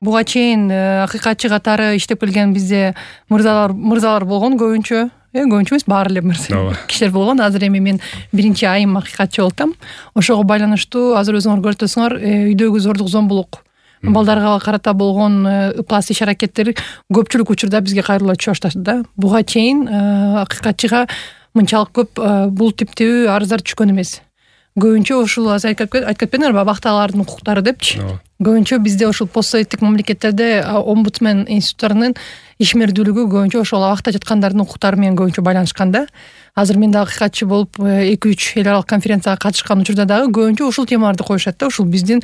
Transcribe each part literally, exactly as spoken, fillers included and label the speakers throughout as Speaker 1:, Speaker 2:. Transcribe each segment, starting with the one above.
Speaker 1: Буга чейин акыйкатчы катары иштеп келген бизде мырзалар мырзалар болгон көбүнчө. Э көбүнчө эмес, баары эле мырза кишилер болгон. Азыр эми мен биринчи айым акыйкатчы болуп атам. Ошого байланыштуу азыр өзүңөр көрүп атасыңар, үйдөгү зордук зомбулук, балдарга карата болгон ыплас иш-аракеттер көпчүлүк учурда бизге кайрыла түшө баштады да. Буга чейин акыйкатчыга мынчалык көп бул типтүү арыздар түшкөн эмес. Көбүнчө ушул азыр айтып кетпедиңерби, абактагылардын укуктары депчи. Көбүнчө бизде ушул постсоветтик мамлекеттерде омбудсмен институттарынын ишмердүүлүгү көбүнчө ошол абакта жаткандардын укуктары менен көбүнчө байланышкан да. Азыр мен да акыйкатчы болуп эки үч эл аралык конференцияга катышкан учурда дагы көбүнчө ушул темаларды коюшат да. Ушул биздин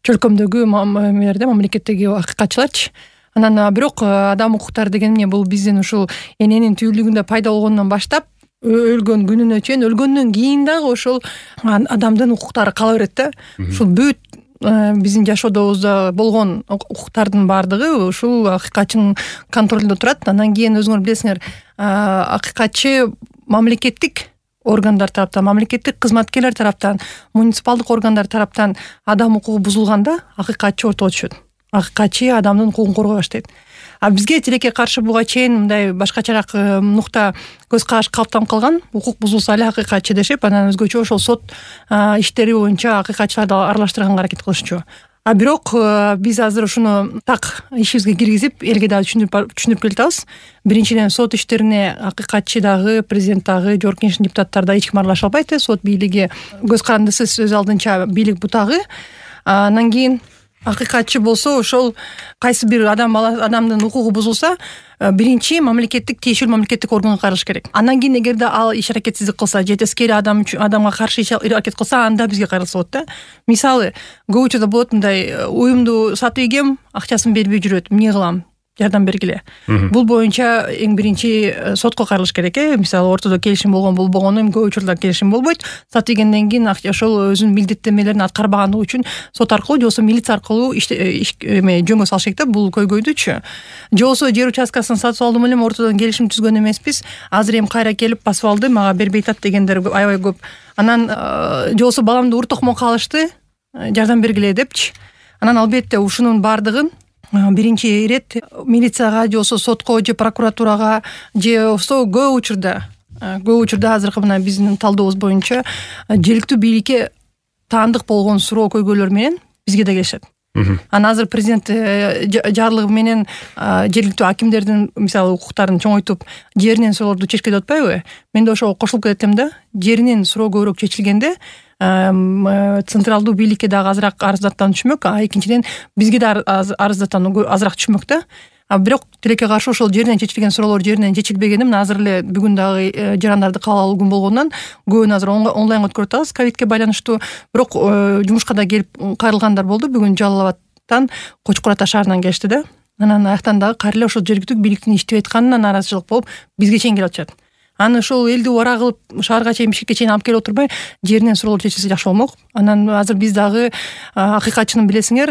Speaker 1: чөлкөмдөгү мамлекеттерде мамлекеттеги акыйкатчыларчы. Анан бирок адам укуктары деген эмне, бул биздин ушул эненин түбөлүгүндө пайда болгондон баштап өлгөн күнүнө чейин, өлгөндөн кийин дагы ошол адамдын укуктары кала берет да. Ушул бүт биздин жашоодобузда болгон укуктардын баардыгы ушул акыйкатчынын контролунда турат. Андан кийин өзүңөр билесиңер, акыйкатчы мамлекеттик органдар тараптан, мамлекеттик кызматкерлер тараптан, муниципалдык органдар тараптан адам укугу бузулганда акыйкатчы ортого түшөт. Акыйкатчы адамдын укугун коргой баштайт. А бизге тилекке каршы буга чейин мындай башкачараак нукта көз караш калыптанып калган. Укук бузулса эле акыйкатчы дешип, анан өзгөчө ошол сот иштери боюнча акыйкатчыларды аралаштырганга аракет кылышчу. А бирок биз азыр ушуну так ишибизге киргизип, элге дагы түшүндүрүп түшүндүрүп келатабыз. Биринчиден, сот иштерине акыйкатчы дагы, президент дагы, жогорку кеңештин депутаттары да эч ким аралаша албайт. Сот бийлиги көз карандысыз өз алдынча бийлик бутагы. Андан кийин акыйкатчы болсо ошол кайсы бир адам адамдын укугу бузулса, биринчи мамлекеттик тиешелүү мамлекеттик органга кайрылыш керек. Андан кийин эгерде ал иш-аракетсиздик кылса, же тескери адам үчүн адамга каршы иш-аракет кылса, анда бизге кайрылса болот да. Мисалы, көп учурда болот мындай, уюмду сатып ийгем, акчасын бербей жүрөт. Эмне кылам? Жардам бергиле. Бул боюнча эң биринчи сотко кайрылыш керек. Э мисалы, ортодо келишим болгон болбогону, эми көп учурда келишим болбойт. Сатып ийгенден кийин ошол өзүнүн милдеттенмелерин аткарбагандыгы үчүн сот аркылуу же болбосо милиция аркылуу эме жөнгө салыш керек да, бул көйгөйдүчү. Же болбосо жер участкасын сатып алдым элем, ортодон келишим түзгөн эмеспиз. Азыр эми кайра келип басып алды, мага бербей атат дегендер аябай көп. Анан же болбосо баламды ур токмо калышты, жардам бергиле депчи. Анан албетте ушунун баардыгын биринчи ирет милицияга же болбосо сотко же прокуратурага же болбосо көп учурда көп учурда азыркы мына биздин талдообуз боюнча жергиликтүү бийликке таандык болгон суроо көйгөйлөр менен бизге да келишет. Анан азыр президент жарлыгы менен жергиликтүү акимдердин мисалы укуктарын чоңойтуп, жеринен суроолорду чечке деп атпайбы? Мен да ошого кошулуп кетем да. Жеринен суроо көбүрөөк чечилгенде централдуу бийликке дагы азыраак арыздаттан түшмөк, а экинчиден бизге да арыздаттан азыраак түшмөк да. А бирок тилекке каршы ошол жеринен чечилген суроолор жеринен чечилбегени мына азыр эле бүгүн дагы жарандарды кабыл алуу күн болгондон көбүн азыр онлайн өткөрүп атабыз ковидке байланыштуу. Бирок жумушка да келип кайрылгандар болду. Бүгүн Жалал Абадтан, Кочкор Ата шаарынан келишти да. Анан аяктан дагы кайра эле ошол жергиликтүү бийликтин иштеп атканына нааразычылык болуп бизге чейин келип атышат. Аны ошол элди убара кылып шаарга чейин, Бишкекке чейин алып келип отурбай, жеринен суроолор чечилсе жакшы болмок. Анан азыр биз дагы акыйкатчынын билесиңер,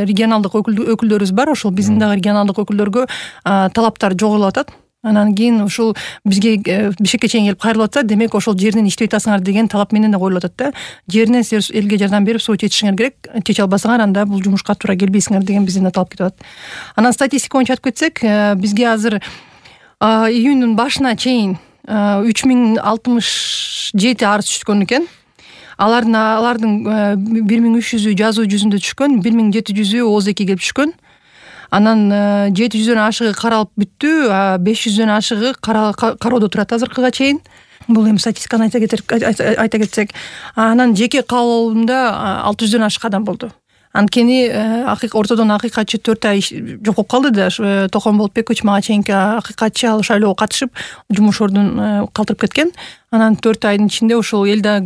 Speaker 1: регионалдык өкүлдөрүбүз бар. Ошол биздин дагы регионалдык өкүлдөргө талаптар жогорулуп атат. Анан кийин ушул бизге Бишкекке чейин келип кайрылып атса, демек ошол жеринен иштеп атасыңар деген талап менен да коюлуп атат да. Жеринен силер элге жардам берип суу чечишиңер керек. Чече албасаңар, анда бул жумушка туура келбейсиңер деген бизден да талап кетип атат. Анан статистика боюнча айтып кетсек, бизге азыр июньдун башына чейин үч миң алтымыш жети арыз түшкөн экен. Алардын алардын бир миң үч жүзү жазуу жүзүндө түшкөн, бир миң жети жүзү ооз эки келип түшкөн. Анан жети жүздөн ашыгы каралып бүттү, беш жүздөн ашыгы кароодо турат азыркыга чейин. Бул эми статистиканы айта кетсек. Анан жеке каалоомдо алты жүздөн ашык адам болду. Анткени ортодон акыйкатчы төрт ай жок болуп калды да. Токон Болотбекович мага чейинки акыйкатчы ал шайлоого катышып, жумуш ордун калтырып кеткен. Анан төрт айдын ичинде ошол элде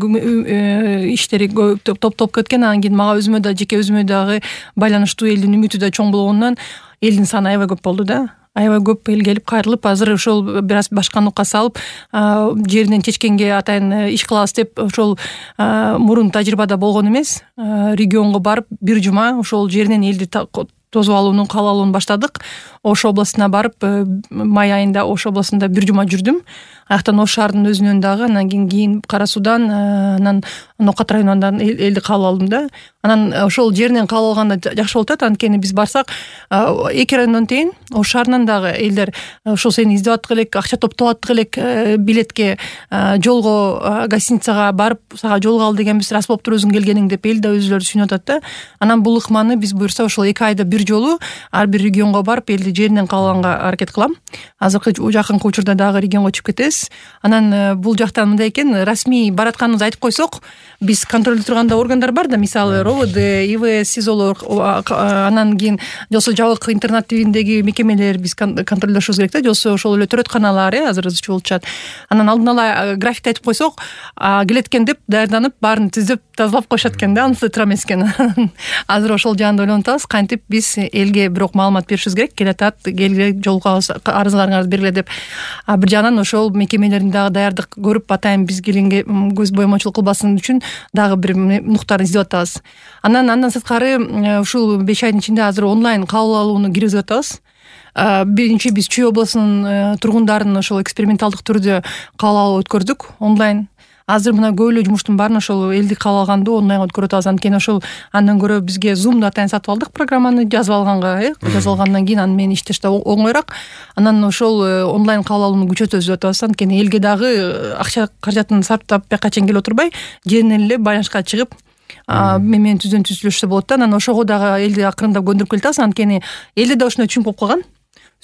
Speaker 1: иштери топ-топ кеткен. Анан кийин мага өзүмө да, жеке өзүмө дагы байланыштуу элдин үмүтү да чоң болгондон элдин саны аябай көп болду да. Аябай көп эл келип кайрылып, азыр ошол бир аз башка нукка салып, жеринен чечкенге атайын иш кылабыз деп ошол мурун тажрыйбада болгон эмес. Регионго барып бир жума ошол жеринен элди тосуп алуунун каалалуун баштадык. Ош областына барып, май айында Ош областында бир жума жүрдүм. аяктан Ош шаарынын өзүнөн дагы, анан кийин кийин Кара Суудан, анан Нокат районунан элди кабыл алдым да. Анан ошол жеринен кабыл алганда жакшы болуп атат, анткени биз барсак эки райондон тең Ош шаарынан дагы элдер ошол сени издеп аттык элек, акча топтоп аттык элек, билетке, жолго, гостиницага барып сага жолуга ал дегенбиз, рас болуптур өзүң келгениң деп эл да өзүлөрү сүйүнүп атат да. Анан бул ыкманы биз буюрса ошол эки айда бир жолу ар бир регионго барып элди жеринен кабыл алганга аракет кылам. Азыркы жакынкы учурда дагы регионго чыгып кетебиз. Анан бул жактан мындай экен, расмий баратканыбызды айтып койсок, биз контролдой турганда органдар бар да, мисалы РОВД, ИВС, СИЗОлор, анан кийин жолсо жабык интернат тибиндеги мекемелер биз контролдошубуз керек да, жолсо ошол эле төрөтканалар, э азыр ызчуу болуп чыгат. Анан алдын ала графикти айтып койсок, келет экен деп даярданып, баарын түзөп тазалап коюшат экен да, анысы туура эмес экен. Азыр ошол жаанда ойлонуп атабыз, кантип биз элге бирок маалымат беришибиз керек, келатат, келгиле, жолуга арызыңарыңарды бергиле деп. А бир жагынан ошол мекемелердин дагы даярдык көрүп, атайын биз келгенге көз боемочулук кылбасын үчүн дагы бир нуктарын издеп атабыз. Анан андан сырткары ушул беш айдын ичинде азыр онлайн кабыл алууну киргизип атабыз. Биринчи биз Чүй облусунун тургундарын ошол эксперименталдык түрдө кабыл алуу өткөрдүк онлайн. Азыр мына көп эле жумуштун баарын ошол элди кабыл алганды онлайнга өткөрүп атабыз. Анткени ошол андан көрө бизге Zoom'ду атайын сатып алдык, программаны жазып алганга, э жазып алгандан кийин аны менен иштеш да оңойраак. Анан ошол онлайн кабыл алууну күчөтөбүз деп атабыз. Анткени элге дагы акча каражатын сарптап бияка чейин келип отурбай, жеринен эле байланышка чыгып, мен менен түздөн түз сүйлөшсө болот да. Анан ошого дагы элди акырындап көндүрүп келатабыз. Анткени элде да ушуну түшүнүп болуп калган.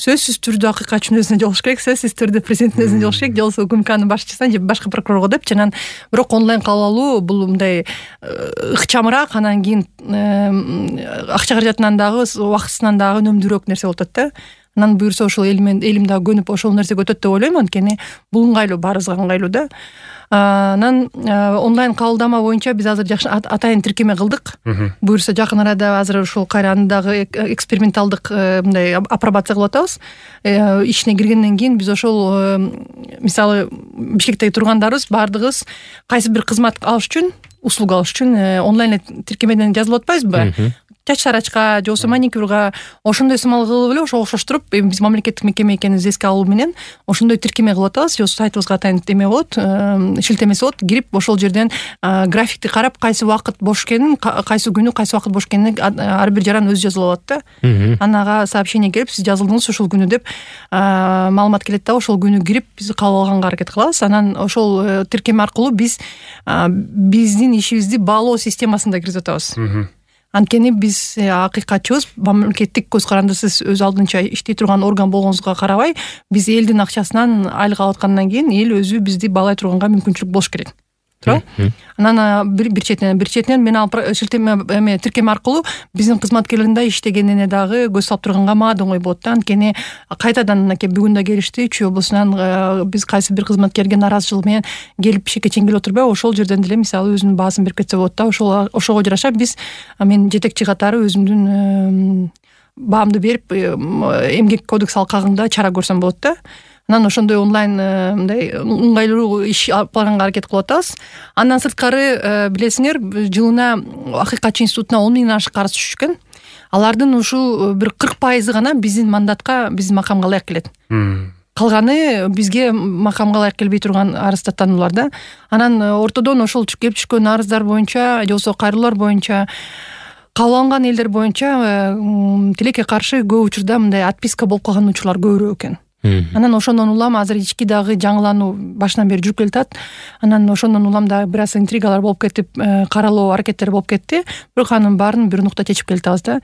Speaker 1: Сөзсүз түрдө акыйкатчынын өзүнө жолугуш керек, сөзсүз түрдө президенттин өзүнө жолугуш керек, жолсо УКМКнын башчысына же башка прокурорго деп. Анан бирок онлайн кабыл алуу бул мындай ыкчамыраак, анан кийин акча каражатынан дагы, убактысынан дагы үнөмдүүрөөк нерсе болуп атат да. Анан буюрса ошол элимен элим дагы көнүп ошол нерсеге өтөт деп ойлойм, анткени бул ыңгайлуу, баарыбызга ыңгайлуу да. Анан онлайн кабылдама боюнча биз азыр жакшы атайын тиркеме кылдык. Буюрса жакын арада азыр ушул кайра аны дагы эксперименталдык мындай апробация кылып атабыз. Ишине киргенден кийин биз ошол мисалы Бишкектеги тургандарыбыз баардыгыбыз кайсы бир кызмат алыш үчүн, услуга алыш үчүн онлайн тиркемеден жазылып атпайбызбы? Чач тарачка же болбосо маникюрга ошондой сымал кылып эле ошого окшоштуруп, эми биз мамлекеттик мекеме экенибизди эске алуу менен ошондой тиркеме кылып атабыз. Же сайтыбызга атайын эме болот, шилтемеси болот. Кирип ошол жерден графикти карап, кайсы убакыт бош экенин, кайсы күнү кайсы убакыт бош экенин ар бир жаран өзү жазылып алат да. Анага сообщение келип, сиз жазылдыңыз ушул күнү деп маалымат келет да, ошол күнү кирип биз кабыл алганга аракет кылабыз. Анан ошол тиркеме аркылуу биз биздин ишибизди баалоо системасында киргизип атабыз. Анткени биз акыйкатчыбыз, мамлекеттик көз карандысыз өз алдынча иштей турган орган болгонубузга карабай, биз элдин акчасынан айлык алып аткандан кийин эл өзү бизди баалай турганга мүмкүнчүлүк болуш керек. Туура? Анан бир четинен бир четинен мен ал шилтеме эме тиркеме аркылуу биздин кызматкерлердин да иштегенине дагы көз салып турганга мага да оңой болот да. Анткени кайтадан мынакей бүгүн да келишти, Чүй облусунан биз кайсы бир кызматкерге наразычылык менен келип Бишкекке чейин келип отурбай, ошол жерден деле мисалы өзүнүн баасын берип кетсе болот да. Ошол ошого жараша биз мен жетекчи катары өзүмдүн баамды берип, эмгек кодекс алкагында чара көрсөм болот да. Анан ошондой онлайн мындай ыңгайлуу иш алып барганга аракет кылып атабыз. Андан сырткары билесиңер, жылына Акыйкатчы институтуна он миңден ашык арыз түшкөн. Алардын ушул бир кырк пайызы гана биздин мандатка, биздин макамга ылайык келет. Калганы бизге макамга ылайык келбей турган арыздаттануулар да. Анан ортодон ошол келип түшкөн арыздар боюнча, же болбосо кайрылуулар боюнча, кабыл алынган элдер боюнча тилекке каршы көп учурда мындай отписка болуп калган учурлар көбүрөөк экен. Анан ошондон улам азыр ички дагы жаңылануу башынан бери жүрүп келатат. Анан ошондон улам да бир аз интригалар болуп кетип, каралоо аракеттери болуп кетти. Бирок анын баарын бир нукта чечип келатабыз да.